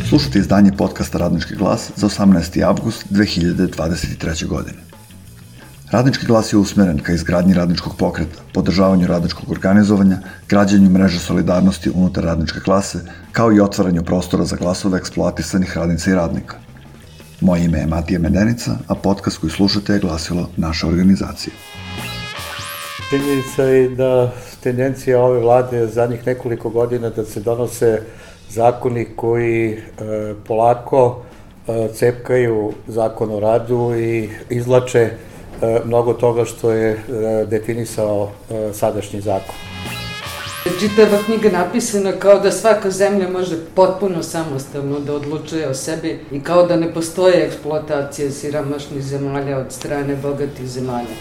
Slušajte izdanje podcasta Radnički glas za 18. avgust 2023. godine. Radnički glas je usmeren ka izgradnji radničkog pokreta, podržavanju radničkog organizovanja, građenju mreže solidarnosti unutar radničke klase, kao i otvaranju prostora za glasove eksploatisanih radnica i radnika. Moje ime je Matija Medenica, a podcast koji slušate je glasilo naše organizacije. Činjenica je da tendencija ove vlade zadnjih nekoliko godina da se donose zakoni koji polako cepkaju zakon o radu i izvlače mnogo toga što je definisao sadašnji zakon. Čitava knjiga napisana kao da svaka zemlja može potpuno samostalno da odlučuje o sebi i kao da ne postoje eksploatacije siromašnih zemalja od strane bogatih zemalja.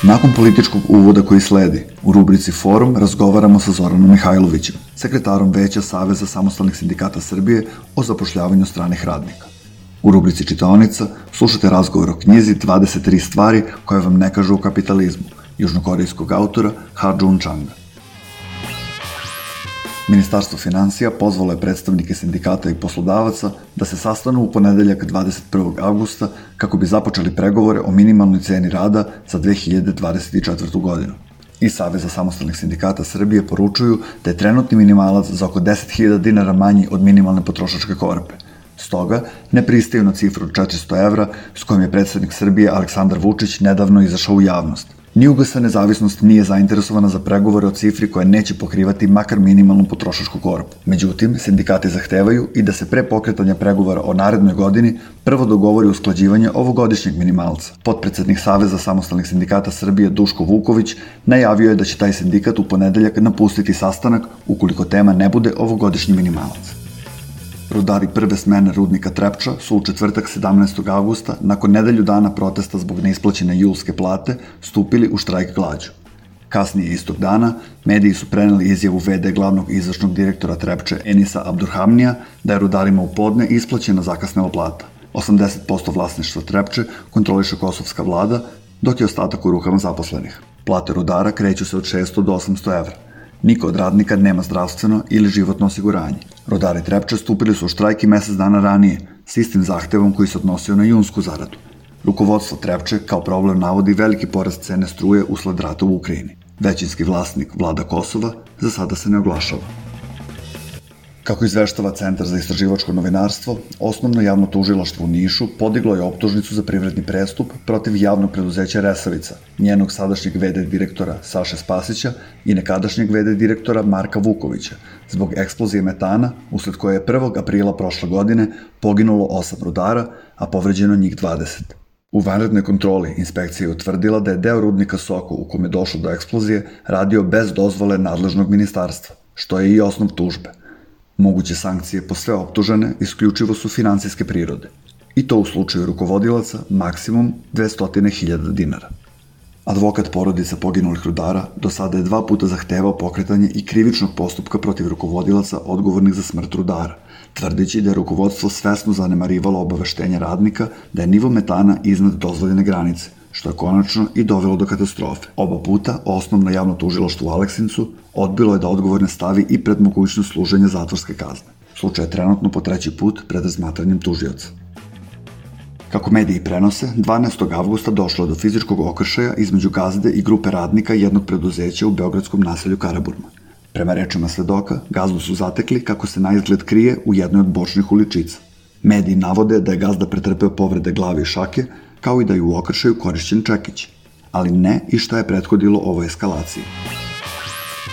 Nakon političkog uvoda koji sledi, u rubrici Forum razgovaramo sa Zoranom Mihajlovićem, sekretarom Veća Saveza samostalnih sindikata Srbije o zapošljavanju stranih radnika. U rubrici Čitaonica slušate razgovor o knjizi 23 stvari koje vam ne kažu o kapitalizmu, južnokorejskog autora Ha Džun Čanga. Ministarstvo finansija pozvalo je predstavnike sindikata i poslodavaca da se sastanu u ponedeljak 21. avgusta kako bi započeli pregovore o minimalnoj ceni rada za 2024. godinu. Iz Saveza samostalnih sindikata Srbije poručuju da je trenutni minimalac za oko 10.000 dinara manji od minimalne potrošačke korpe. Stoga ne pristaju na cifru od 400 evra s kojom je predsednik Srbije Aleksandar Vučić nedavno izašao u javnost. Ni UGS Nezavisnost nije zainteresovana za pregovore o cifri koja neće pokrivati makar minimalnu potrošačku korpu. Međutim, sindikati zahtevaju i da se pre pokretanja pregovora o narednoj godini prvo dogovori usklađivanje ovogodišnjeg minimalca. Potpredsednik Saveza samostalnih sindikata Srbije Duško Vuković najavio je da će taj sindikat u ponedeljak napustiti sastanak ukoliko tema ne bude ovogodišnji minimalac. Rudari prve smene rudnika Trepča su u četvrtak 17. avgusta, nakon nedelju dana protesta zbog neisplaćene julske plate, stupili u štrajk glađu. Kasnije istog dana, mediji su preneli izjavu VD glavnog izvršnog direktora Trepče Enisa Abdurhamnija da je rudarima u podne isplaćena zakasnela plata. 80% vlasništva Trepče kontroliše kosovska vlada, dok je ostatak u rukama zaposlenih. Plate rudara kreću se od 600 do 800 evra. Niko od radnika nema zdravstveno ili životno osiguranje. Rudari Trepče stupili su u štrajk i mesec dana ranije, s istim zahtevom koji se odnosio na junsku zaradu. Rukovodstvo Trepče kao problem navodi veliki porast cene struje usled rata u Ukrajini. Većinski vlasnik, vlada Kosova, za sada se ne oglašava. Kako izveštava Centar za istraživačko novinarstvo, Osnovno javno tužilaštvo u Nišu podiglo je optužnicu za privredni prestup protiv javnog preduzeća Resavica, njenog sadašnjeg VD direktora Saše Spasića i nekadašnjeg VD direktora Marka Vukovića, zbog eksplozije metana, usled koje je 1. aprila prošle godine poginulo 8 rudara, a povređeno njih 20. U vanrednoj kontroli inspekcija je utvrdila da je deo rudnika Soko u kome je došlo do eksplozije radio bez dozvole nadležnog ministarstva, što je i osnov tužbe. Moguće sankcije po sve optužene isključivo su finansijske prirode. I to u slučaju rukovodilaca maksimum 200.000 dinara. Advokat porodica poginulih rudara do sada je 2 puta zahtevao pokretanje i krivičnog postupka protiv rukovodilaca odgovornih za smrt rudara, tvrdeći da je rukovodstvo svesno zanemarivalo obaveštenja radnika da je nivo metana iznad dozvoljene granice, što je konačno i dovelo do katastrofe. Oba puta Osnovno javno tužilaštvo u Aleksincu odbilo je da odgovorne stavi i pred mogućnost služenja zatvorske kazne. Slučaj je trenutno po 3. put pred razmatranjem tužioca. Kako mediji prenose, 12. avgusta došlo je do fizičkog okršaja između gazde i grupe radnika jednog preduzeća u beogradskom naselju Karaburma. Prema rečima svedoka, gazdu su zatekli kako se na izgled krije u jednoj od bočnih uličica. Mediji navode da je gazda pretrpeo povrede glave i šake, kao i da je u okršaju korišćen čekić, ali ne i šta je prethodilo ovoj eskalaciji.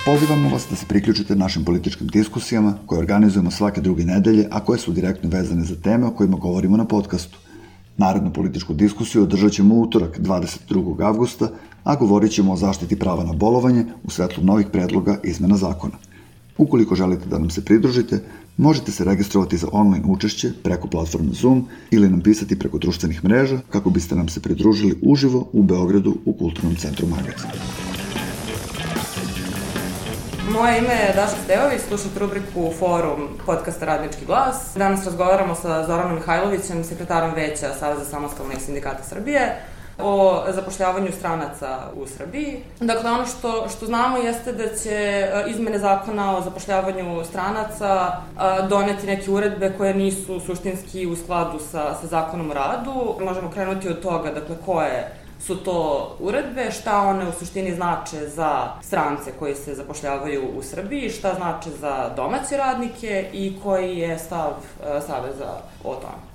Pozivamo vas da se priključite našim političkim diskusijama koje organizujemo svake druge nedelje, a koje su direktno vezane za teme o kojima govorimo na podcastu. Narednu političku diskusiju održat ćemo u utorak 22. avgusta, a govorit ćemo o zaštiti prava na bolovanje u svetlu novih predloga izmena zakona. Ukoliko želite da nam se pridružite, možete se registrovati za online učešće preko platforme Zoom ili nam pisati preko društvenih mreža kako biste nam se pridružili uživo u Beogradu u Kulturnom centru Magac. Moje ime je Daška Stejović, slušate rubriku Forum podcasta Radnički glas. Danas razgovaramo sa Zoranom Mihajlovićem, sekretarom Veća Saveza samostalnih sindikata Srbije. o zapošljavanju stranaca u Srbiji. Dakle, ono što znamo jeste da će izmene zakona o zapošljavanju stranaca doneti neke uredbe koje nisu suštinski u skladu sa zakonom o radu. Možemo krenuti od toga, dakle, koje su to uredbe, šta one u suštini znače za strance koji se zapošljavaju u Srbiji, šta znače za domaće radnike i koji je stav Saveza o tome.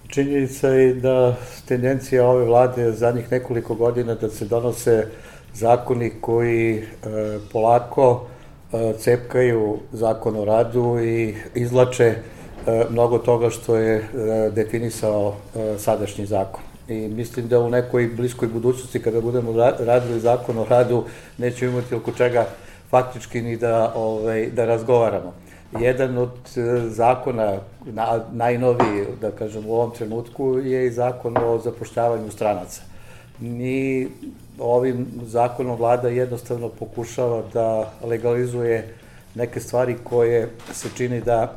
Činjenica je da tendencija ove vlade zadnjih nekoliko godina da se donose zakoni koji polako cepkaju zakon o radu i izvlače mnogo toga što je definisao sadašnji zakon. I mislim da u nekoj bliskoj budućnosti kada budemo radili zakon o radu nećemo imati oko čega faktički ni da razgovaramo. Jedan od zakona, najnoviji, da kažem, u ovom trenutku je i zakon o zapošljavanju stranaca. Mi ovim zakonom vlada jednostavno pokušava da legalizuje neke stvari koje se čini da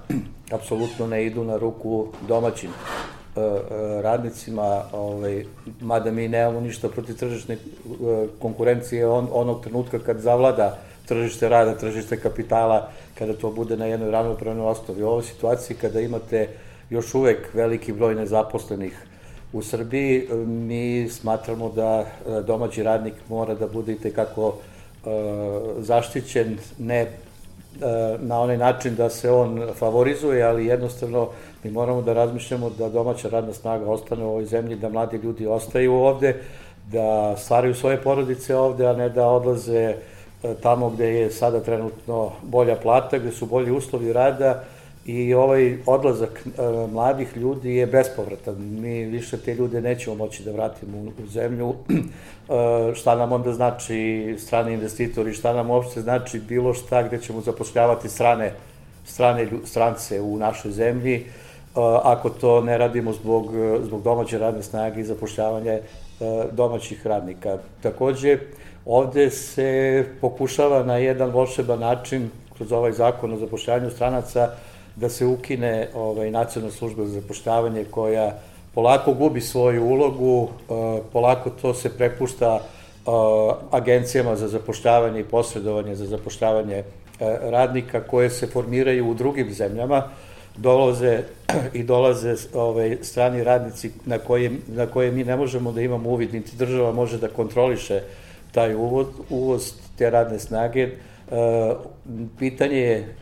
apsolutno ne idu na ruku domaćim radnicima, mada mi nemamo ništa protiv tržišne konkurencije onog trenutka kad zavlada tržište rada, tržište kapitala, kada to bude na jednoj ravnopravnoj osnovi. U ovoj situaciji kada imate još uvek veliki broj nezaposlenih u Srbiji, mi smatramo da domaći radnik mora da bude itekako zaštićen, ne na onaj način da se on favorizuje, ali jednostavno mi moramo da razmišljamo da domaća radna snaga ostane u ovoj zemlji, da mladi ljudi ostaju ovde, da stvaraju svoje porodice ovde, a ne da odlaze tamo gde je sada trenutno bolja plata, gde su bolji uslovi rada i ovaj odlazak mladih ljudi je bespovratan. Mi više te ljude nećemo moći da vratimo u zemlju. Šta nam onda znači strani investitori, šta nam uopšte znači bilo šta gde ćemo zapošljavati strance u našoj zemlji, ako to ne radimo zbog domaće radne snage i zapošljavanja domaćih radnika. Takođe, ovde se pokušava na jedan volšeban način, kroz ovaj zakon o zapošljavanju stranaca, da se ukine nacionalna služba za zapošljavanje koja polako gubi svoju ulogu, polako to se prepušta agencijama za zapošljavanje i posredovanje za zapošljavanje radnika koje se formiraju u drugim zemljama, dolaze strani radnici na koje mi ne možemo da imamo uvid, niti država može da kontroliše taj uvoz te radne snage. Pitanje je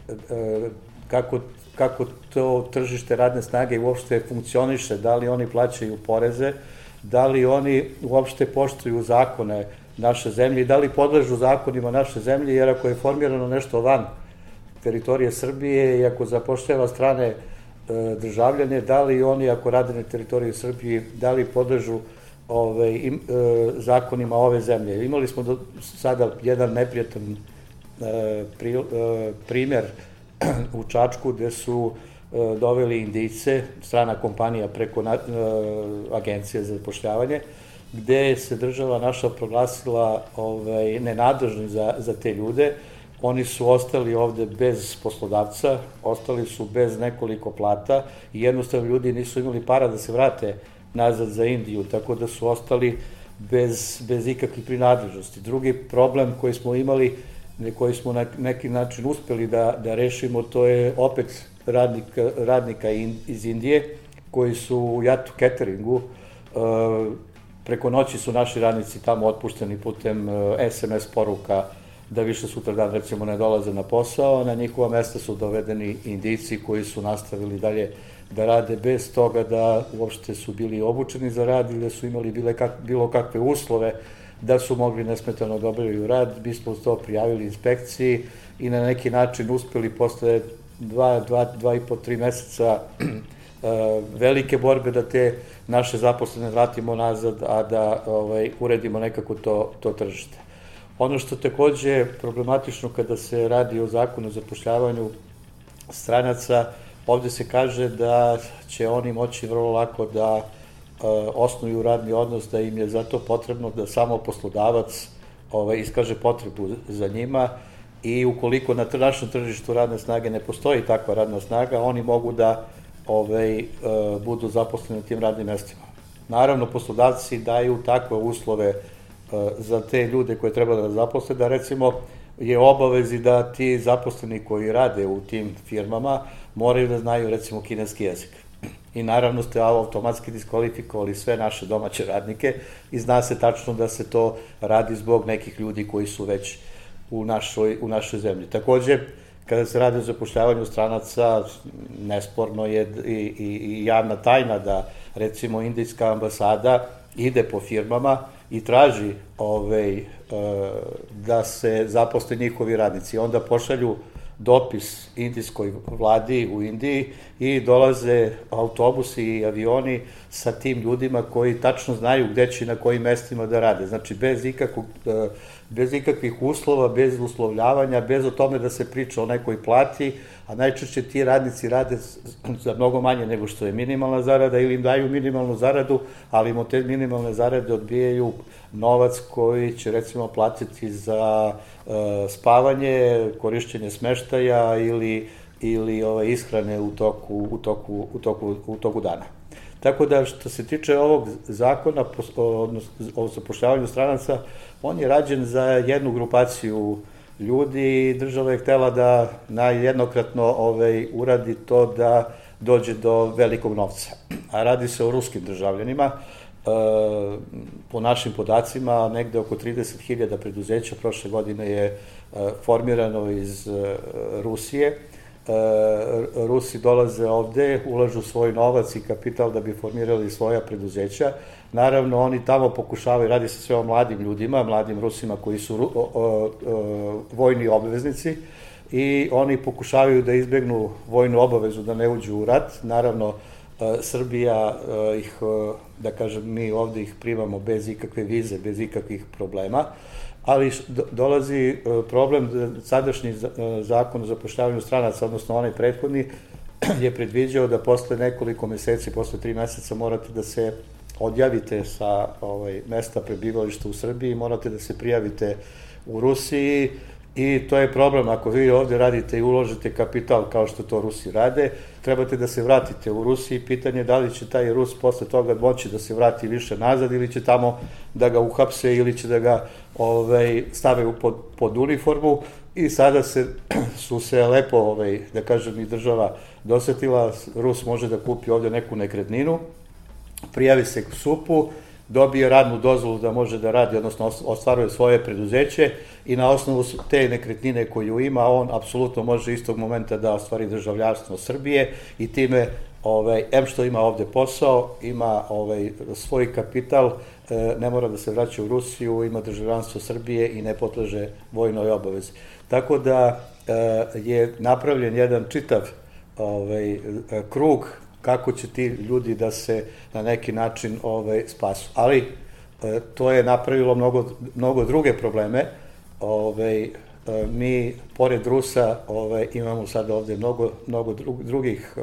kako to tržište radne snage uopšte funkcioniše, da li oni plaćaju poreze, da li oni uopšte poštuju zakone naše zemlje i da li podležu zakonima naše zemlje, jer ako je formirano nešto van teritorije Srbije i ako zapošljava strane državljane, da li oni ako rade na teritoriji Srbije, da li podležu zakonima ove zemlje. Imali smo do sada jedan neprijatan primer u Čačku gde su doveli Indijce, strana kompanija preko agencije za zapošljavanje, gde se država naša proglasila nenadležni za te ljude. Oni su ostali ovde bez poslodavca, ostali su bez nekoliko plata i jednostavno ljudi nisu imali para da se vrate nazad za Indiju, tako da su ostali bez ikakvih prinadležnosti. Drugi problem koji smo imali, koji smo na neki način uspeli da rešimo, to je opet radnika iz Indije, koji su u Yatu cateringu. Preko noći su naši radnici tamo otpušteni putem SMS poruka da više sutradan recimo ne dolaze na posao, na njihova mesta su dovedeni Indijci koji su nastavili dalje da rade bez toga da uopšte su bili obučeni za rad ili da su imali bilo kakve uslove da su mogli nesmetano da obavljaju rad. Mi smo to prijavili inspekciji i na neki način uspeli posle 2,5-3 meseca velike borbe da te naše zaposlene vratimo nazad, a da uredimo nekako to tržište. Ono što takođe je problematično kada se radi o zakonu o zapošljavanju stranaca, ovde se kaže da će oni moći vrlo lako da osnuju radni odnos, da im je zato potrebno da samo poslodavac iskaže potrebu za njima i ukoliko na našem tržištu radne snage ne postoji takva radna snaga, oni mogu da budu zaposleni na tim radnim mestima. Naravno, poslodavci daju takve uslove za te ljude koje treba da zaposle, da recimo je obavezi da ti zaposleni koji rade u tim firmama moraju da znaju recimo kineski jezik. I naravno ste automatski diskvalifikovali sve naše domaće radnike i zna se tačno da se to radi zbog nekih ljudi koji su već u našoj zemlji. Takođe, kada se radi o zapošljavanju stranaca, nesporno je i javna tajna da recimo indijska ambasada ide po firmama i traži da se zaposle njihovi radnici. Onda pošalju dopis indijskoj vladi u Indiji i dolaze autobusi i avioni sa tim ljudima koji tačno znaju gde će i na kojim mestima da rade. Znači, bez ikakvih uslova, bez uslovljavanja, bez o tome da se priča o nekoj plati, a najčešće ti radnici rade za mnogo manje nego što je minimalna zarada ili im daju minimalnu zaradu, ali im od te minimalne zarade odbijaju novac koji će recimo platiti za spavanje, korišćenje smeštaja ili ishrane u toku dana. Tako da, što se tiče ovog zakona o zapošljavanju stranaca, on je rađen za jednu grupaciju ljudi i država je htela da jednokratno uradi to da dođe do velikog novca. A radi se o ruskim državljanima. Po našim podacima, negde oko 30.000 preduzeća prošle godine je formirano iz Rusije. Rusi dolaze ovde, ulažu svoj novac i kapital da bi formirali svoja preduzeća. Naravno, oni tamo pokušavaju, radi se sve o mladim ljudima, mladim Rusima koji su vojni obveznici i oni pokušavaju da izbegnu vojnu obavezu, da ne uđu u rat. Naravno, Srbija ih, da kažem, mi ovde ih primamo bez ikakve vize, bez ikakvih problema, ali dolazi problem, sadašnji zakon o zapošljavanju stranaca, odnosno onaj prethodni, je predviđao da posle nekoliko meseci, posle 3 meseca morate da se odjavite sa mesta prebivališta u Srbiji, morate da se prijavite u Rusiji i to je problem. Ako vi ovde radite i uložite kapital kao što to Rusi rade, trebate da se vratite u Rusiji. Pitanje je da li će taj Rus posle toga moći da se vrati više nazad ili će tamo da ga uhapse ili će da ga stave pod uniformu i sada su se lepo, da kažem, i država dosetila. Rus može da kupi ovde neku nekretninu, prijavi se u SUP-u, dobije radnu dozvolu da može da radi, odnosno ostvaruje svoje preduzeće i na osnovu te nekretnine koju ima, on apsolutno može istog momenta da ostvari državljanstvo Srbije i time, em što ima ovde posao, ima svoj kapital, ne mora da se vraća u Rusiju, ima državljanstvo Srbije i ne podleže vojnoj obavezi. Tako da je napravljen jedan čitav krug kako će ti ljudi da se na neki način spasu. Ali to je napravilo mnogo druge probleme. Mi, pored Rusa, imamo sad ovde mnogo drugih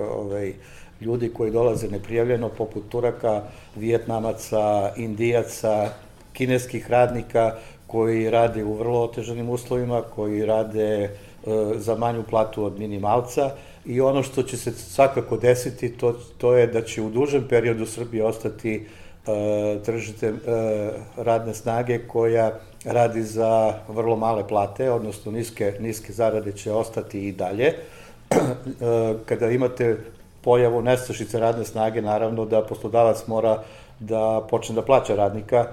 ljudi koji dolaze neprijavljeno, poput Turaka, Vijetnamaca, Indijaca, kineskih radnika koji rade u vrlo otežanim uslovima, koji rade za manju platu od minimalca i ono što će se svakako desiti to je da će u dužem periodu Srbije ostati tržište radne snage koja radi za vrlo male plate, odnosno niske zarade će ostati i dalje. Kada imate pojavu nestašice radne snage, naravno da poslodavac mora da počne da plaća radnika,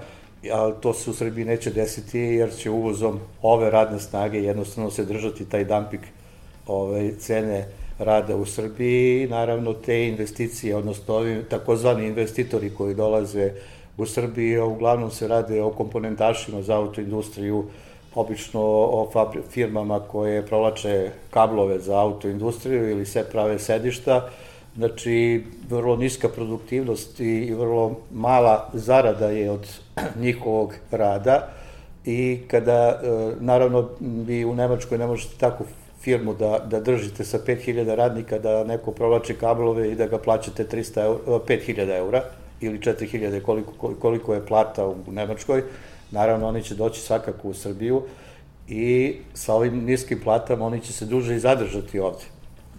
ali to se u Srbiji neće desiti jer će uvozom ove radne snage jednostavno se držati taj dumping cene rada u Srbiji i naravno te investicije, odnosno ovi takozvani investitori koji dolaze u Srbiji, uglavnom se rade o komponentašima za autoindustriju, obično o firmama koje provlače kablove za autoindustriju ili se prave sedišta. Znači, vrlo niska produktivnost i vrlo mala zarada je od njihovog rada i kada, naravno, vi u Nemačkoj ne možete takvu firmu da držite sa 5.000 radnika, da neko provlači kablove i da ga plaćate 5.000 eura ili 4.000 koliko je plata u Nemačkoj. Naravno, oni će doći svakako u Srbiju i sa ovim niskim platama oni će se duže i zadržati ovde.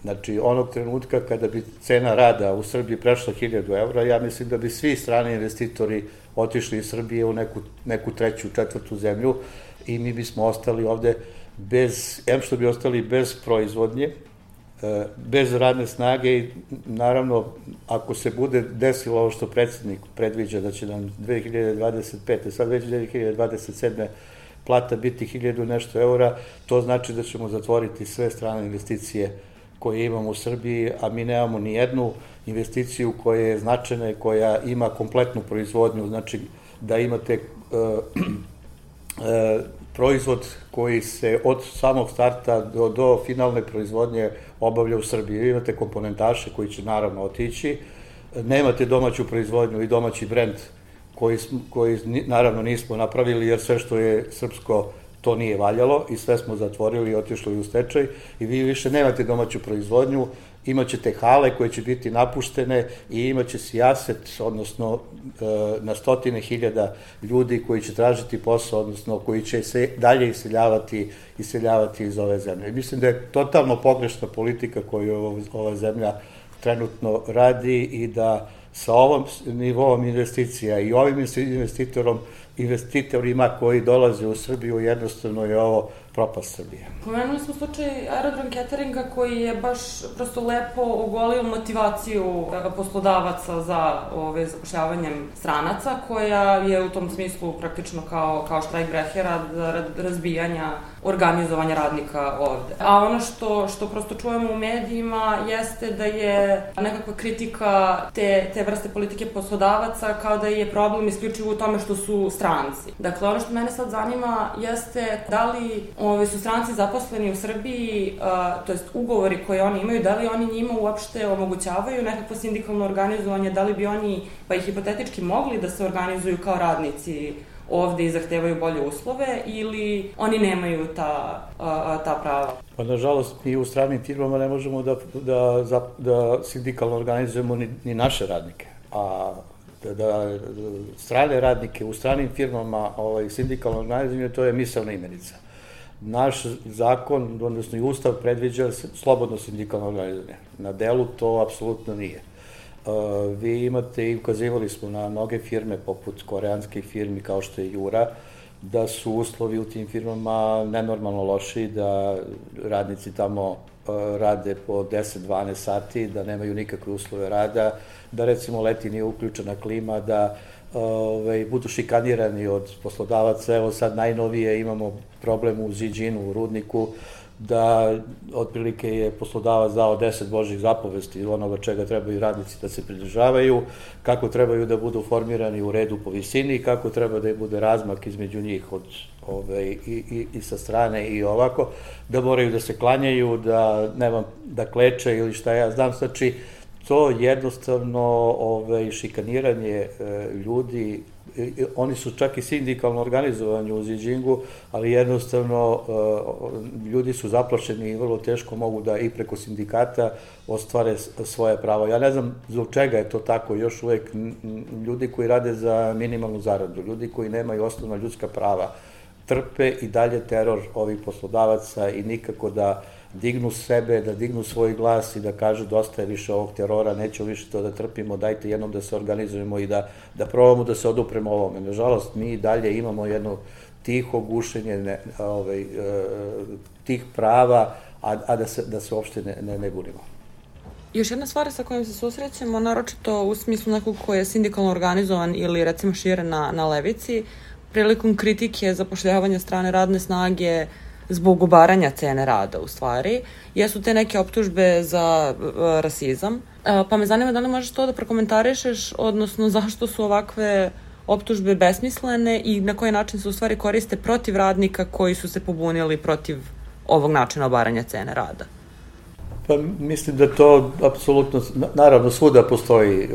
Znači, onog trenutka kada bi cena rada u Srbiji prešla 1000 evra, ja mislim da bi svi strani investitori otišli iz Srbije u neku treću, četvrtu zemlju i mi bismo ostali ovde što bi ostali bez proizvodnje, bez radne snage i naravno ako se bude desilo ovo što predsjednik predviđa da će nam 2025. sad već 2027. plata biti 1000 nešto eura, to znači da ćemo zatvoriti sve strane investicije koje imamo u Srbiji, a mi nemamo ni jednu investiciju koja je značajna i koja ima kompletnu proizvodnju, znači da imate proizvod koji se od samog starta do finalne proizvodnje obavlja u Srbiji. Vi imate komponentaše koji će naravno otići, nemate domaću proizvodnju i domaći brend koji naravno nismo napravili jer sve što je srpsko to nije valjalo i sve smo zatvorili i otišli u stečaj i vi više nemate domaću proizvodnju, imaćete hale koje će biti napuštene i imaće sijaset, odnosno na stotine hiljada ljudi koji će tražiti posao, odnosno koji će se dalje iseljavati iz ove zemlje. Mislim da je totalno pogrešna politika koju ova zemlja trenutno radi i da sa ovom nivoom investicija i ovim investitorima koji dolaze u Srbiju, jednostavno je ovo propast Srbije. Pomenuli smo slučaj Aerodrom Cateringa koji je baš prosto lepo ogolio motivaciju poslodavaca za zapošljavanjem stranaca, koja je u tom smislu praktično kao štrajkbrehera razbijanja organizovanja radnika ovde. A ono što prosto čujemo u medijima jeste da je nekakva kritika te vrste politike poslodavaca kao da je problem isključivo u tome što su stranci. Dakle, ono što mene sad zanima jeste da li su stranci zaposleni u Srbiji, to jest ugovori koje oni imaju, da li oni njima uopšte omogućavaju nekakvo sindikalno organizovanje, da li bi oni, pa i hipotetički, mogli da se organizuju kao radnici ovde i zahtevaju bolje uslove ili oni nemaju ta prava? Pa nažalost mi u stranim firmama ne možemo da sindikalno organizujemo ni naše radnike, a da strane radnike u stranim firmama sindikalno organizujemo, to je misaona imenica. Naš zakon, odnosno i ustav, predviđa slobodno sindikalno organizovanje. Na delu to apsolutno nije. Vi imate i ukazivali smo na mnoge firme, poput koreanskih firmi kao što je Jura, da su uslovi u tim firmama nenormalno loši, da radnici tamo rade po 10-12 sati, da nemaju nikakve uslove rada, da recimo leti nije uključena klima, da budu šikanirani od poslodavaca. Evo sad najnovije imamo problem u Ziđinu, u Rudniku, da otprilike je poslodavac dao 10 božjih zapovesti onoga čega trebaju radnici da se pridržavaju, kako trebaju da budu formirani u redu po visini, kako treba da bude razmak između njih i sa strane i ovako, da moraju da se klanjaju, da kleče ili šta ja znam, znači to jednostavno šikaniranje ljudi, oni su čak i sindikalno organizovani u Ziđingu, ali jednostavno ljudi su zaplašeni i vrlo teško mogu da i preko sindikata ostvare svoje pravo. Ja ne znam zbog čega je to tako, još uvek ljudi koji rade za minimalnu zaradu, ljudi koji nemaju osnovna ljudska prava, trpe i dalje teror ovih poslodavaca i nikako da dignu sebe, da dignu svoj glas i da kažu dosta je više ovog terora, nećemo više to da trpimo, dajte jednom da se organizujemo i da probamo da se odupremo ovome. Nažalost, mi dalje imamo jedno tiho gušenje tih prava, a da se uopšte ne bunimo. Još jedna stvar sa kojom se susrećemo, naročito u smislu nekog ko je sindikalno organizovan ili recimo šire na levici, prilikom kritike zapošljavanja strane radne snage zbog ugovaranja cene rada, u stvari, jesu te neke optužbe za rasizam. Pa me zanima da li možeš to da prokomentarišeš, odnosno zašto su ovakve optužbe besmislene i na koji način se u stvari koriste protiv radnika koji su se pobunili protiv ovog načina obaranja cene rada? Pa mislim da to apsolutno, naravno svuda postoji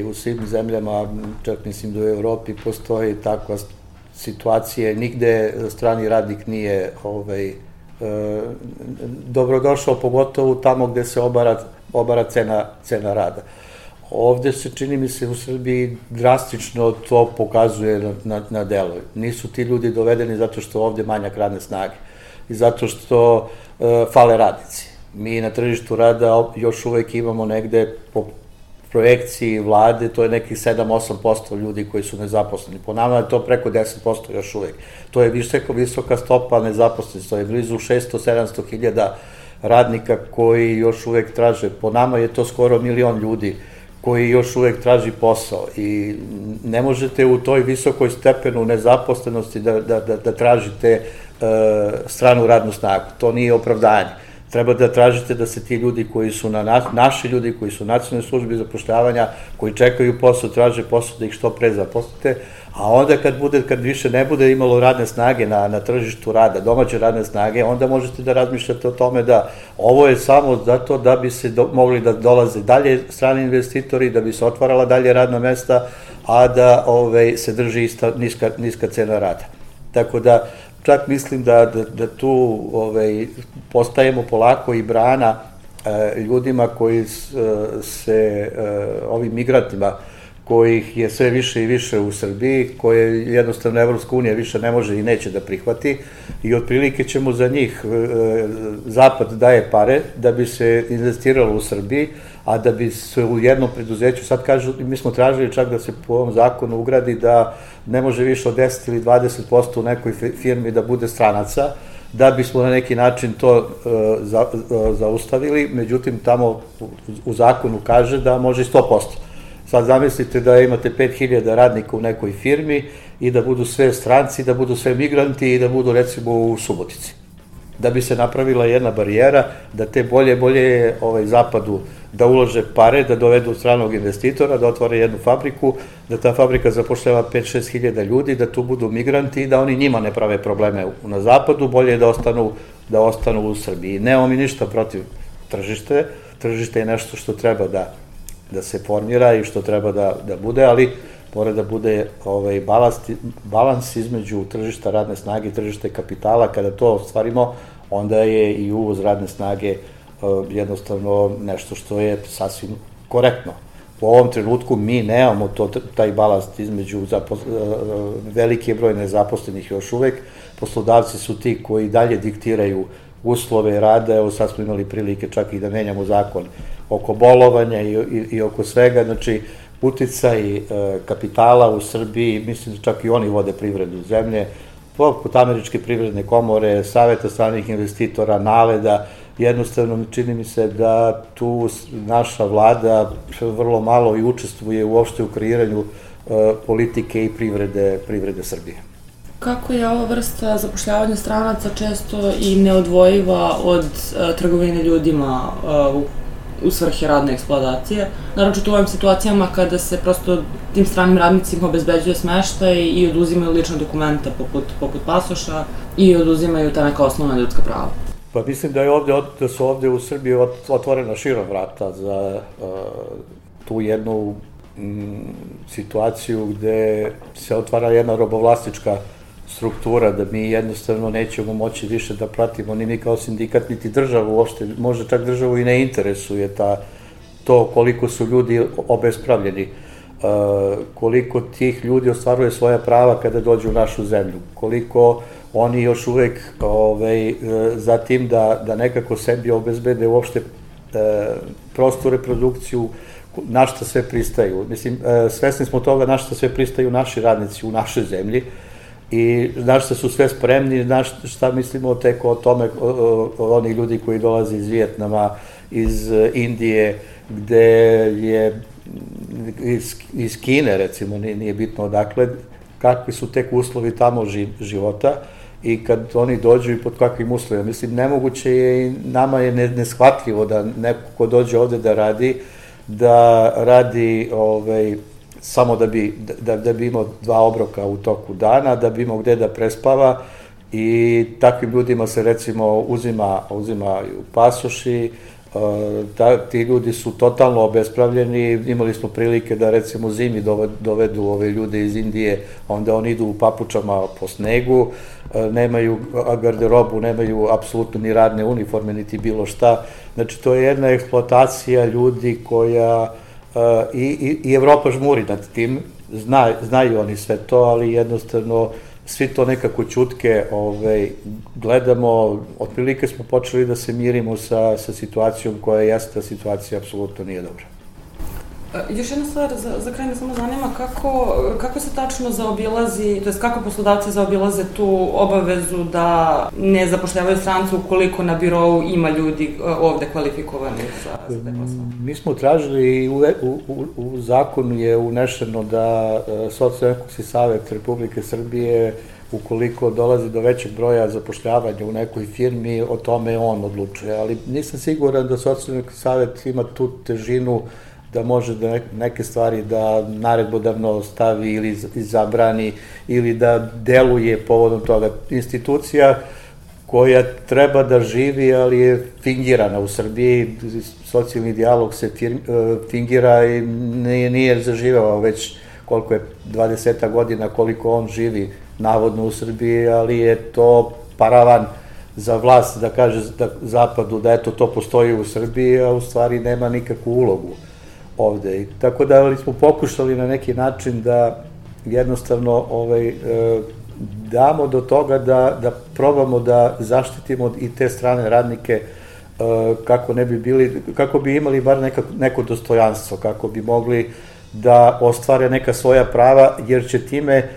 u svim zemljama, čak mislim da u Evropi postoji takva situacije, nigde strani radnik nije dobrodošao, pogotovo tamo gde se obara cena rada. Ovde se, čini mi se, u Srbiji drastično to pokazuje na delu. Nisu ti ljudi dovedeni zato što ovde manjak radne snage i zato što fale radnici. Mi na tržištu rada još uvek imamo negde po projekciji vlade, to je nekih 7-8% ljudi koji su nezaposleni. Po nama je to preko 10% još uvek. To je visoka stopa nezaposlenosti, to je blizu 600-700 hiljada radnika koji još uvek traže. Po nama je to skoro 1.000.000 ljudi koji još uvek traži posao i ne možete u toj visokoj stepenu nezaposlenosti da tražite stranu radnu snagu. To nije opravdanje. Treba da tražite da se ti ljudi koji su naši ljudi, koji su u nacionalnoj službi zapošljavanja, koji čekaju posao, traže posao, da ih što pre zaposlite, a onda kad više ne bude imalo radne snage na tržištu rada, domaće radne snage, onda možete da razmišljate o tome da ovo je samo zato da bi se mogli da dolaze dalje strani investitori, da bi se otvarala dalje radna mesta, a da se drži ista niska cena rada. Tako da, čak mislim da tu postajemo polako i brana ljudima koji ovim migrantima, kojih je sve više i više u Srbiji, koje jednostavno Evropska unija više ne može i neće da prihvati i otprilike ćemo za njih, Zapad daje pare da bi se investiralo u Srbiji, a da bi se u jednom preduzeću, sad kažu, mi smo tražili čak da se po ovom zakonu ugradi da ne može više od 10 ili 20% u nekoj firmi da bude stranaca, da bismo na neki način to zaustavili, međutim tamo u zakonu kaže da može i 100%. Sad zamislite da imate 5000 radnika u nekoj firmi i da budu sve stranci, da budu sve migranti i da budu recimo u Subotici. Da bi se napravila jedna barijera, da te bolje Zapadu da ulože pare, da dovedu stranog investitora, da otvore jednu fabriku, da ta fabrika zapošljava 5-6 hiljada ljudi, da tu budu migranti i da oni njima ne prave probleme na Zapadu, bolje je da ostanu u Srbiji. Nemamo mi ništa protiv tržište, tržište je nešto što treba da se formira i što treba da bude, ali mora da bude balans između tržišta radne snage i tržišta kapitala. Kada to ostvarimo, onda je i uvoz radne snage jednostavno nešto što je sasvim korektno. U ovom trenutku mi nemamo taj balans između velike broj nezaposlenih još uvek. Poslodavci su ti koji dalje diktiraju uslove rada. Evo sad smo imali prilike čak i da menjamo zakon oko bolovanja i oko svega. Znači, uticaj kapitala u Srbiji, mislim da čak i oni vode privredu zemlje, poput Američke privredne komore, Saveta stranih investitora, NALED-a, jednostavno čini mi se da tu naša vlada vrlo malo i učestvuje uopšte u kreiranju politike i privrede Srbije. Kako je ova vrsta zapošljavanja stranaca često i neodvojiva od trgovine ljudima u svrhe radne eksploatacije, naročito u ovim situacijama kada se prosto tim stranim radnicima obezbeđuje smeštaj i oduzimaju lične dokumenta poput pasoša i oduzimaju ta neka osnovna ljudska prava. Pa mislim da su ovde u Srbiji otvorena širom vrata za tu jednu situaciju gde se otvara jedna robovlasnička struktura, da mi jednostavno nećemo moći više da pratimo ni mi kao sindikat, niti državu uopšte, možda čak državu i ne interesuje to koliko su ljudi obespravljeni, koliko tih ljudi ostvaruje svoja prava kada dođu u našu zemlju, koliko oni još uvek za tim da nekako sebi obezbede uopšte prostu reprodukciju, na šta sve pristaju. Mislim, svesni smo toga na šta sve pristaju naši radnici u našoj zemlji i na šta su sve spremni, na šta mislimo tek o tome, onih ljudi koji dolaze iz Vijetnama, iz Indije, gde je iz Kine, recimo, nije bitno odakle, kakvi su tek uslovi tamo života i kad oni dođu i pod kakvim uslovima. Mislim, nemoguće je i nama je neshvatljivo da neko ko dođe ovde da radi samo da bi imao 2 obroka u toku dana, da bi imao gde da prespava i takvim ljudima se recimo uzimaju pasoši, ti ljudi su totalno obespravljeni, imali smo prilike da recimo zimi dovedu ove ljude iz Indije, onda oni idu u papučama po snegu, nemaju garderobu, nemaju apsolutno ni radne uniforme, niti bilo šta. Znači, to je jedna eksploatacija ljudi koja i Evropa žmuri nad tim, znaju oni sve to, ali jednostavno svi to nekako ćutke gledamo, otprilike smo počeli da se mirimo sa situacijom koja jeste, situacija apsolutno nije dobra. Još jedna stvar, za kraj me samo zanima kako se tačno zaobilazi, to jest kako poslodavci zaobilaze tu obavezu da ne zapošljavaju strance ukoliko na birou ima ljudi ovde kvalifikovani za te poslove? Mi smo tražili i u zakonu je unešeno da Socijalno-ekonomski savet Republike Srbije, ukoliko dolazi do većeg broja zapošljavanja u nekoj firmi, o tome on odlučuje, ali nisam siguran da Socijalno-ekonomski savet ima tu težinu da može da neke stvari da naredbodavno stavi ili zabrani ili da deluje povodom toga. Institucija koja treba da živi, ali je fingirana u Srbiji, socijalni dijalog se fingira i nije zaživao već koliko je 20 godina koliko on živi navodno u Srbiji, ali je to paravan za vlast da kaže zapadu da eto to postoji u Srbiji, a u stvari nema nikakvu ulogu ovde. Tako da smo pokušali na neki način da jednostavno damo do toga da probamo da zaštitimo i te strane radnike kako bi imali bar neko dostojanstvo, kako bi mogli da ostvare neka svoja prava, jer će time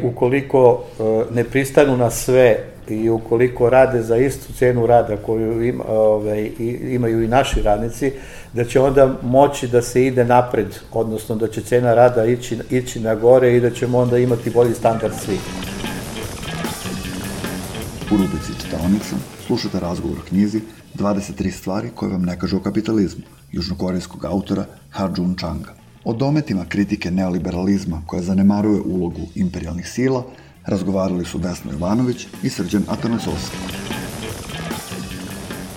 ukoliko ne pristanu na sve i ukoliko rade za istu cenu rada koju imaju i naši radnici, da će onda moći da se ide napred, odnosno da će cena rada ići na gore i da ćemo onda imati bolji standard svih. U rubrici Čitaonica slušate razgovor o knjizi 23 stvari koje vam ne kažu o kapitalizmu, južnokorejskog autora Ha-Joon Changa. O dometima kritike neoliberalizma koja zanemaruje ulogu imperijalnih sila razgovarali su Vesna Jovanović i Srđan Atanasovski.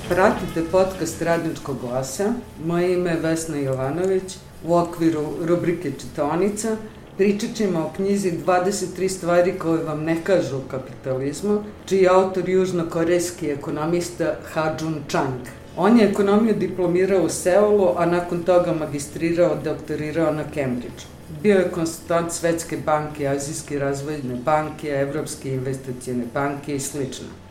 Pratite podcast Radničkog glasa. Moje ime je Vesna Jovanović. U okviru rubrike Čitaonica pričat ćemo o knjizi 23 stvari koje vam ne kažu o kapitalizmu, čiji je autor južnokorejski ekonomista Ha-Joon Chang. On je ekonomiju diplomirao u Seulu, a nakon toga magistrirao, doktorirao na Cambridgeu. Bio je konsultant Svetske banke, Azijske razvojne banke, Evropske investicione banke i sl.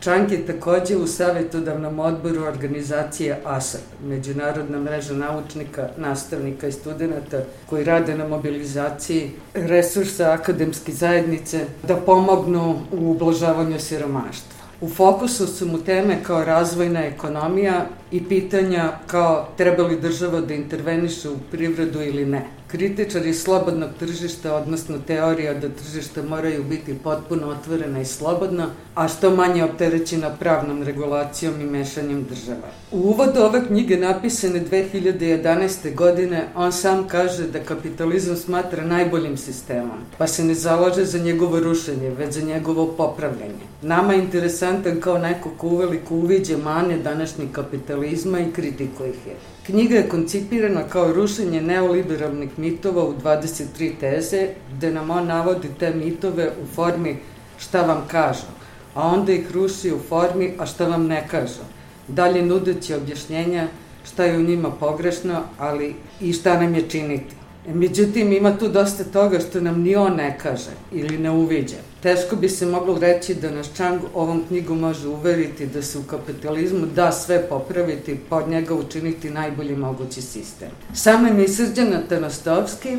Chang je takođe u savjetodavnom odboru organizacije ASAP, Međunarodna mreža naučnika, nastavnika i studenta koji rade na mobilizaciji resursa akademske zajednice da pomognu u ublažavanju siromaštva. U fokusu su mu teme kao razvojna ekonomija i pitanja kao treba li država da interveniše u privredu ili ne. Kritičar je slobodnog tržišta, odnosno teorija da tržišta moraju biti potpuno otvorena i slobodna, a što manje opterećena pravnom regulacijom i mešanjem država. U uvodu ove knjige napisane 2011. godine on sam kaže da kapitalizam smatra najboljim sistemom, pa se ne zalaže za njegovo rušenje, već za njegovo popravljanje. Nama je interesantan kao neko ko uveliko uviđa mane današnjeg kapitalizma i kritikuje ih je. Knjiga je koncipirana kao rušenje neoliberalnih mitova u 23 teze, gde nam on navodi te mitove u formi šta vam kažu, a onda ih ruši u formi a šta vam ne kažu, dalje nudeći objašnjenja šta je u njima pogrešno, ali i šta nam je činiti. Međutim, ima tu dosta toga što nam ni on ne kaže ili ne uviđa. Teško bi se moglo reći da nas Chang ovom knjigom može uveriti da se u kapitalizmu da sve popraviti, pa od njega učiniti najbolji mogući sistem. Sam je mi Srđan Atanasovski,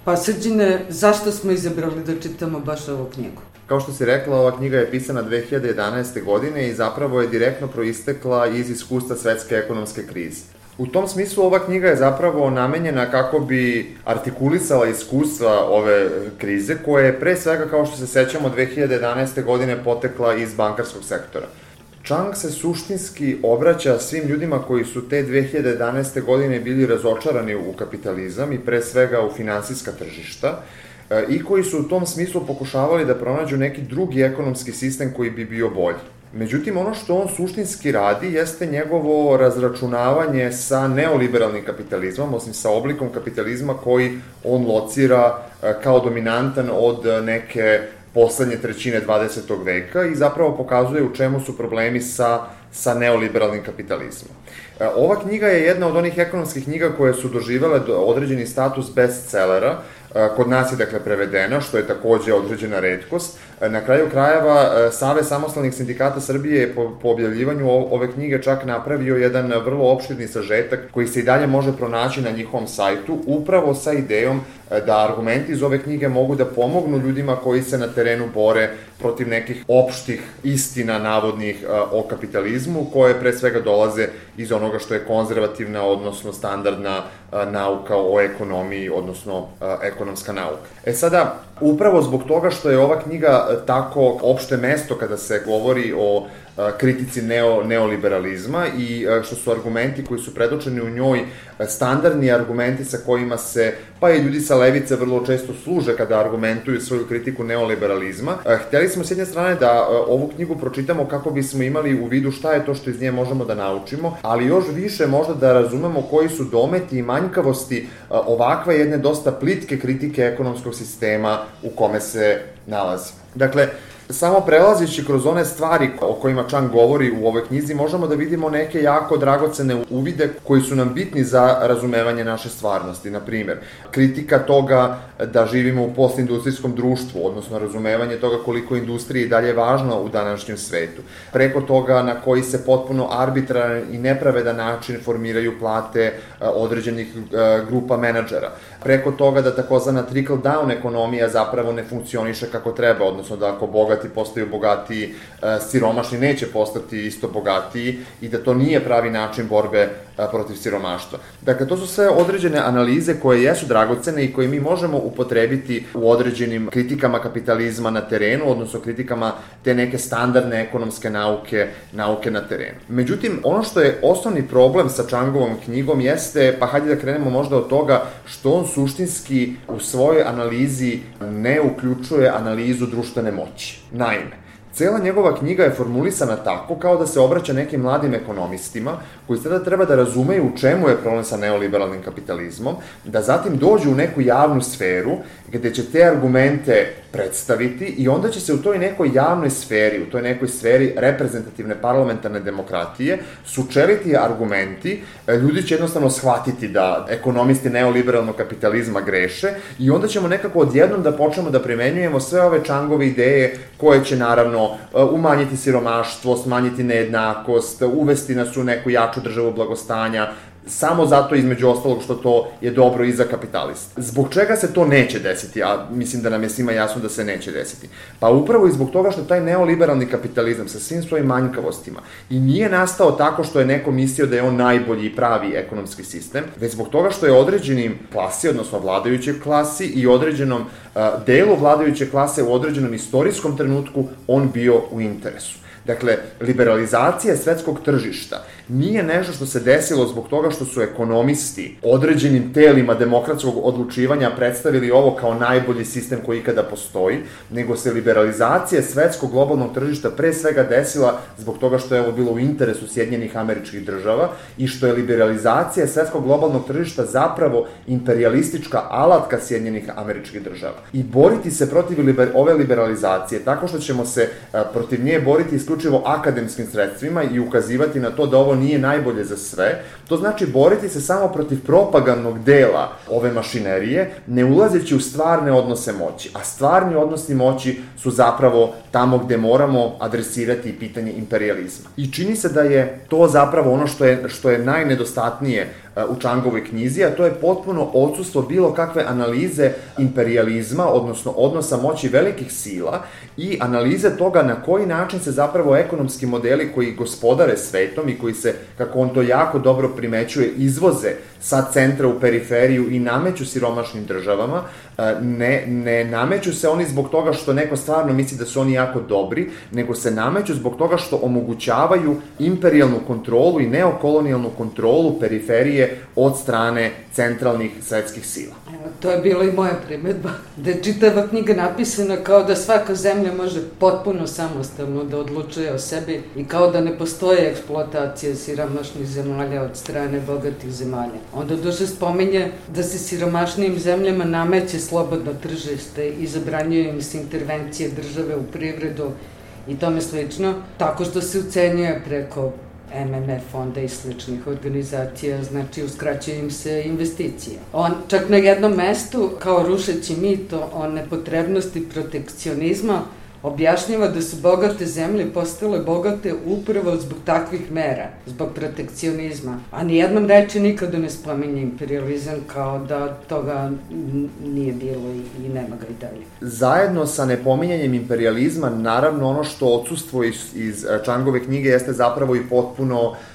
pa Srđane, zašto smo izabrali da čitamo baš ovu knjigu? Kao što si rekla, ova knjiga je pisana 2011. godine i zapravo je direktno proistekla iz iskustva svetske ekonomske krize. U tom smislu ova knjiga je zapravo namenjena kako bi artikulisala iskustva ove krize, koja je pre svega, kao što se sećamo, 2011. godine potekla iz bankarskog sektora. Chang se suštinski obraća svim ljudima koji su te 2011. godine bili razočarani u kapitalizam i pre svega u finansijska tržišta i koji su u tom smislu pokušavali da pronađu neki drugi ekonomski sistem koji bi bio bolji. Međutim, ono što on suštinski radi jeste njegovo razračunavanje sa neoliberalnim kapitalizmom, osim sa oblikom kapitalizma koji on locira kao dominantan od neke poslednje trećine 20. veka i zapravo pokazuje u čemu su problemi sa neoliberalnim kapitalizmom. Ova knjiga je jedna od onih ekonomskih knjiga koje su doživele određeni status bestsellera. Kod nas je, dakle, prevedena, što je takođe određena retkost, Na kraju krajeva, Savez samostalnih sindikata Srbije je po objavljivanju ove knjige čak napravio jedan vrlo opširni sažetak koji se i dalje može pronaći na njihovom sajtu, upravo sa idejom da argumenti iz ove knjige mogu da pomognu ljudima koji se na terenu bore protiv nekih opštih istina navodnih o kapitalizmu, koje pre svega dolaze iz onoga što je konzervativna, odnosno standardna nauka o ekonomiji, odnosno ekonomska nauka. Sada, upravo zbog toga što je ova knjiga tako opšte mesto kada se govori o kritici neoliberalizma i što su argumenti koji su predočeni u njoj standardni argumenti sa kojima se, pa i ljudi sa levice vrlo često služe kada argumentuju svoju kritiku neoliberalizma. Hteli smo s jedne strane da ovu knjigu pročitamo kako bismo imali u vidu šta je to što iz nje možemo da naučimo, ali još više možda da razumemo koji su dometi i manjkavosti ovakve jedne dosta plitke kritike ekonomskog sistema u kome se nalazi. Dakle, samo prelazići kroz one stvari o kojima Čang govori u ovoj knjizi, možemo da vidimo neke jako dragocene uvide koji su nam bitni za razumevanje naše stvarnosti. Na primjer, kritika toga da živimo u postindustrijskom društvu, odnosno razumevanje toga koliko je industrija i dalje važno u današnjem svetu. Preko toga na koji se potpuno arbitraran i nepravedan način formiraju plate određenih grupa menadžera. Preko toga da takozvana trickle-down ekonomija zapravo ne funkcioniše kako treba, odnosno da ako bogati postaju bogatiji, siromašni neće postati isto bogatiji i da to nije pravi način borbe protiv siromaštva. Dakle, to su sve određene analize koje jesu dragocene i koje mi možemo upotrebiti u određenim kritikama kapitalizma na terenu, odnosno kritikama te neke standardne ekonomske nauke na terenu. Međutim, ono što je osnovni problem sa Changovom knjigom jeste, pa hajde da krenemo možda od toga, što on suštinski u svojoj analizi ne uključuje analizu društvene moći. Naime, cela njegova knjiga je formulisana tako kao da se obraća nekim mladim ekonomistima koji sada treba da razumeju u čemu je problem sa neoliberalnim kapitalizmom, da zatim dođu u neku javnu sferu gde će te argumente predstaviti i onda će se u toj nekoj javnoj sferi, u toj nekoj sferi reprezentativne parlamentarne demokratije sučeliti argumenti, ljudi će jednostavno shvatiti da ekonomisti neoliberalnog kapitalizma greše i onda ćemo nekako odjednom da počnemo da primenjujemo sve ove Changove ideje koje će naravno umanjiti siromaštvo, smanjiti nejednakost, uvesti nas u neku jaču državu blagostanja, samo zato između ostalog što to je dobro i za kapitalista. Zbog čega se to neće desiti, a mislim da nam je svima jasno da se neće desiti? Pa upravo i zbog toga što taj neoliberalni kapitalizam sa svim svojim manjkavostima i nije nastao tako što je neko mislio da je on najbolji i pravi ekonomski sistem, već zbog toga što je određenim klasi, odnosno vladajućoj klasi i određenom delu vladajuće klase u određenom istorijskom trenutku on bio u interesu. Dakle, liberalizacija svetskog tržišta nije nešto što se desilo zbog toga što su ekonomisti određenim telima demokratskog odlučivanja predstavili ovo kao najbolji sistem koji ikada postoji, nego se liberalizacija svetskog globalnog tržišta pre svega desila zbog toga što je ovo bilo u interesu Sjedinjenih Američkih Država i što je liberalizacija svetskog globalnog tržišta zapravo imperialistička alatka Sjedinjenih Američkih Država. I boriti se protiv ove liberalizacije tako što ćemo se protiv nje boriti isključivo akademskim sredstvima i ukazivati na to da ovo nije najbolje za sve, to znači boriti se samo protiv propagandnog dela ove mašinerije, ne ulazeći u stvarne odnose moći. A stvarni odnosi moći su zapravo tamo gde moramo adresirati pitanje imperijalizma. I čini se da je to zapravo ono što je najnedostatnije u Changovoj knjizi, a to je potpuno odsustvo bilo kakve analize imperijalizma, odnosno odnosa moći velikih sila i analize toga na koji način se zapravo ekonomski modeli koji gospodare svetom i koji se, kako on to jako dobro primećuje, izvoze sa centra u periferiju i nameću siromašnim državama, ne nameću se oni zbog toga što neko stvarno misli da su oni jako dobri, nego se nameću zbog toga što omogućavaju imperijalnu kontrolu i neokolonijalnu kontrolu periferije od strane centralnih svetskih sila. To je bila i moja primedba, da je čitava knjiga napisana kao da svaka zemlja može potpuno samostalno da odlučuje o sebi i kao da ne postoje eksploatacija siromašnih zemalja od strane bogatih zemalja. Onda duše spominje da se siromašnijim zemljama nameće slobodno tržište i zabranjuje im se intervencije države u privredu i tome slično, tako što se ucenjuje preko MMF fonda i sličnih organizacija, znači uskraćuje im se investicije. On čak na jednom mestu, kao rušeći mit o nepotrebnosti protekcionizma, objašnjava da su bogate zemlje postale bogate upravo zbog takvih mera, zbog protekcionizma. A nijednom reči nikada ne spominje imperializam, kao da toga nije bilo i nema ga i dalje. Zajedno sa nepominjanjem imperializma, naravno ono što odsustvo iz Čangove knjige jeste zapravo i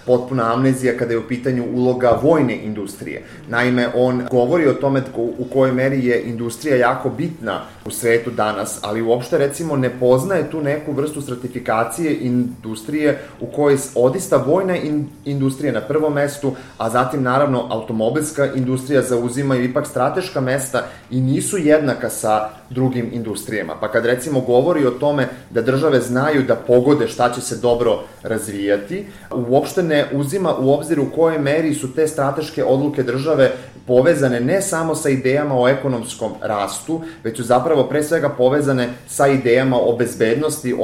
potpuna amnezija kada je u pitanju uloga vojne industrije. Naime, on govori o tome u kojoj meri je industrija jako bitna u svetu danas, ali uopšte recimo ne poznaje tu neku vrstu stratifikacije industrije u kojoj odista vojna industrija na prvom mestu, a zatim naravno automobilska industrija zauzimaju ipak strateška mesta i nisu jednaka sa drugim industrijama. Pa kad recimo govori o tome da države znaju da pogode šta će se dobro razvijati, uopšte ne uzima u obzir u kojoj meri su te strateške odluke države povezane ne samo sa idejama o ekonomskom rastu, već su zapravo pre svega povezane sa idejama o bezbednosti,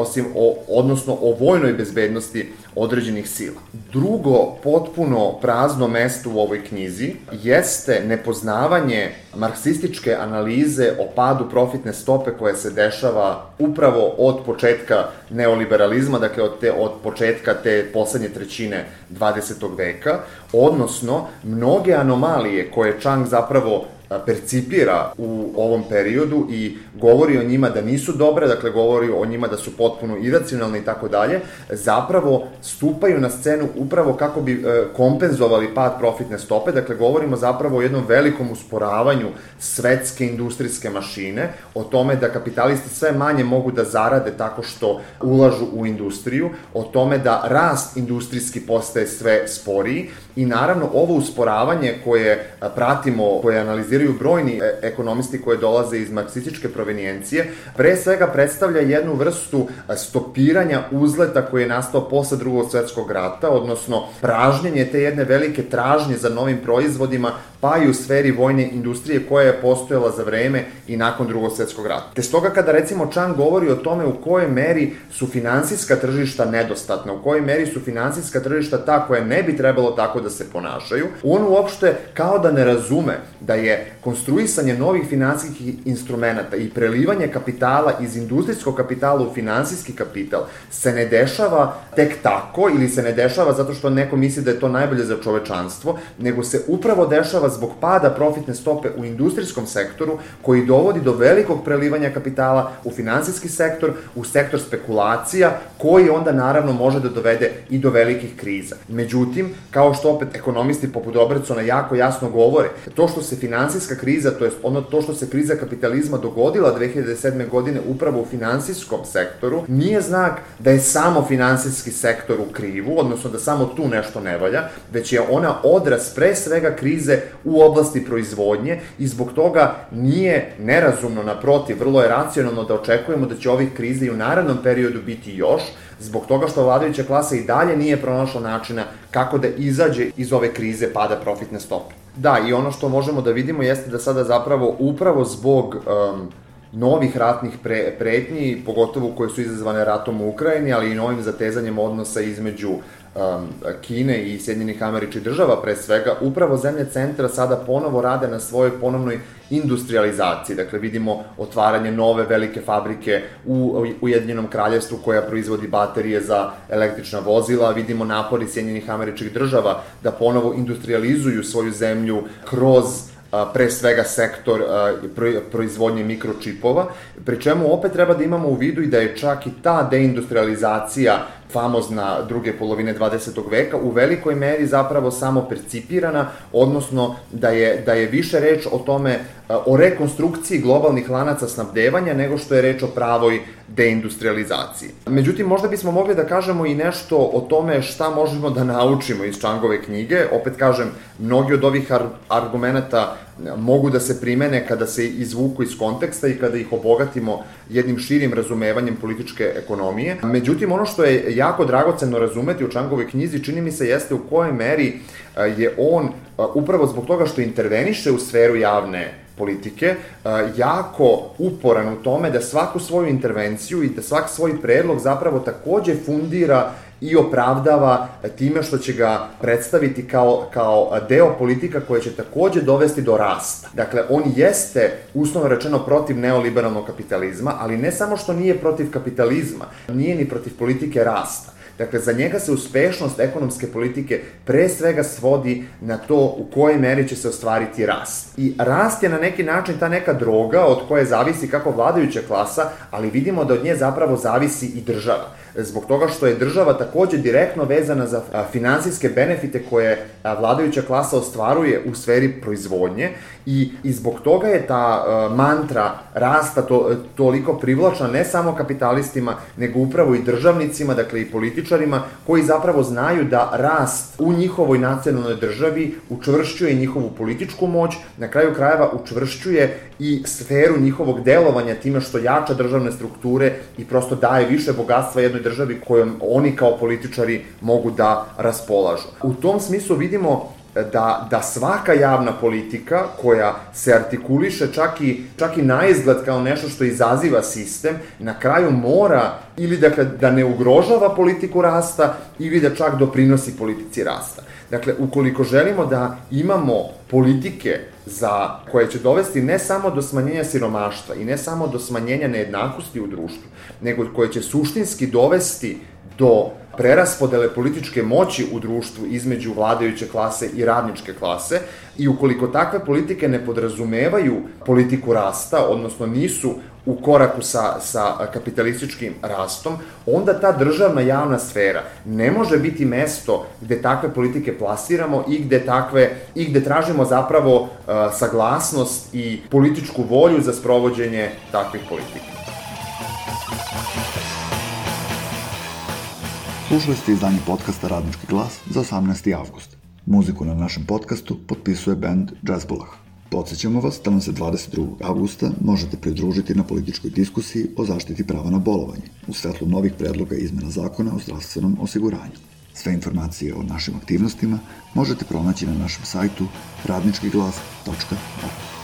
odnosno o vojnoj bezbednosti određenih sila. Drugo potpuno prazno mesto u ovoj knjizi jeste nepoznavanje marksističke analize o padu profitne stope koja se dešava upravo od početka neoliberalizma, dakle od početka te poslednje trećine 20. veka, odnosno mnoge anomalije koje Čang zapravo percipira u ovom periodu i govori o njima da nisu dobre, dakle govori o njima da su potpuno iracionalne i tako dalje, zapravo stupaju na scenu upravo kako bi kompenzovali pad profitne stope, dakle govorimo zapravo o jednom velikom usporavanju svetske industrijske mašine, o tome da kapitalisti sve manje mogu da zarade tako što ulažu u industriju, o tome da rast industrijski postaje sve sporiji i naravno ovo usporavanje koje pratimo, koje analiziraju brojni ekonomisti koje dolaze iz marksističke provenijencije, pre svega predstavlja jednu vrstu stopiranja uzleta koji je nastao posle Drugog svetskog rata, odnosno pražnjenje te jedne velike tražnje za novim proizvodima, pa i u sferi vojne industrije koja je postojala za vreme i nakon Drugog svetskog rata. Te stoga kada recimo Čang govori o tome u kojoj meri su finansijska tržišta nedostatna, u kojoj meri su finansijska tržišta ta koja ne bi trebalo tako da se ponašaju, on uopšte kao da ne razume da je konstruisanje novih finansijskih instrumenta i prelivanje kapitala iz industrijskog kapitala u finansijski kapital se ne dešava tek tako ili se ne dešava zato što neko misli da je to najbolje za čovečanstvo, nego se upravo dešava zbog pada profitne stope u industrijskom sektoru koji dovodi do velikog prelivanja kapitala u finansijski sektor, u sektor spekulacija koji onda naravno može da dovede i do velikih kriza. Međutim, kao što opet ekonomisti poput Robertsona jako jasno govore, to što se finansijska kriza, to je to što se kriza kapitalizma dogodila 2007. godine upravo u finansijskom sektoru, nije znak da je samo finansijski sektor u krivu, odnosno da samo tu nešto ne valja, već je ona odraz pre svega krize u oblasti proizvodnje i zbog toga nije nerazumno, naprotiv, vrlo je racionalno da očekujemo da će ovih kriza i u narednom periodu biti još, zbog toga što vladajuća klasa i dalje nije pronašla načina kako da izađe iz ove krize pada profitne stope. Da, i ono što možemo da vidimo jeste da sada zapravo upravo zbog novih ratnih pretnji, pogotovo koje su izazvane ratom u Ukrajini, ali i novim zatezanjem odnosa između Kine i Sjedinjenih Američkih Država pre svega, upravo zemlje centra sada ponovo rade na svojoj ponovnoj industrializaciji. Dakle, vidimo otvaranje nove velike fabrike u Ujedinjenom Kraljevstvu koja proizvodi baterije za električna vozila, vidimo napori Sjedinjenih Američkih Država da ponovo industrializuju svoju zemlju kroz pre svega sektor proizvodnje mikročipova, pri čemu opet treba da imamo u vidu i da je čak i ta deindustrializacija famozna druge polovine 20. veka u velikoj meri zapravo samo percipirana, odnosno da je više reč o tome, o rekonstrukciji globalnih lanaca snabdevanja nego što je reč o pravoj deindustrializaciji. Međutim, možda bismo mogli da kažemo i nešto o tome šta možemo da naučimo iz Čangove knjige. Opet kažem, mnogi od ovih argumenta mogu da se primene kada se izvuku iz konteksta i kada ih obogatimo jednim širim razumevanjem političke ekonomije. Međutim, ono što je jako dragoceno razumeti u Čangovoj knjizi, čini mi se, jeste u kojoj meri je on, upravo zbog toga što interveniše u sferu javne politike, jako uporan u tome da svaku svoju intervenciju i da svaki svoj predlog zapravo takođe fundira i opravdava time što će ga predstaviti kao deo politika koje će takođe dovesti do rasta. Dakle, on jeste, uslovno rečeno, protiv neoliberalnog kapitalizma, ali ne samo što nije protiv kapitalizma, nije ni protiv politike rasta. Dakle, za njega se uspešnost ekonomske politike pre svega svodi na to u kojoj meri će se ostvariti rast. I rast je na neki način ta neka droga od koje zavisi kako vladajuća klasa, ali vidimo da od nje zapravo zavisi i država. Zbog toga što je država takođe direktno vezana za finansijske benefite koje vladajuća klasa ostvaruje u sferi proizvodnje i zbog toga je ta mantra rasta toliko privlačna ne samo kapitalistima, nego upravo i državnicima, dakle i političarima, koji zapravo znaju da rast u njihovoj nacionalnoj državi učvršćuje njihovu političku moć, na kraju krajeva učvršćuje i sferu njihovog delovanja time što jača državne strukture i prosto daje više bogatstva jednoj državi kojom oni kao političari mogu da raspolažu. U tom smislu vidimo da svaka javna politika koja se artikuliše čak i na izgled kao nešto što izaziva sistem, na kraju mora ili dakle, da ne ugrožava politiku rasta ili da čak doprinosi politici rasta. Dakle, ukoliko želimo da imamo politike koje će dovesti ne samo do smanjenja siromaštva i ne samo do smanjenja nejednakosti u društvu, nego koje će suštinski dovesti do preraspodele političke moći u društvu između vladajuće klase i radničke klase i ukoliko takve politike ne podrazumevaju politiku rasta, odnosno nisu u koraku sa kapitalističkim rastom, onda ta državna javna sfera ne može biti mesto gde takve politike plasiramo i gde tražimo zapravo saglasnost i političku volju za sprovođenje takvih politika. Slušali ste izdanje podcasta Radnički glas za 18. avgust. Muziku na našem podcastu potpisuje band Jazzbolah. Podsećamo vas da nam se 22. avgusta možete pridružiti na političkoj diskusiji o zaštiti prava na bolovanje u svetlu novih predloga izmena zakona o zdravstvenom osiguranju. Sve informacije o našim aktivnostima možete pronaći na našem sajtu radničkiglas.org.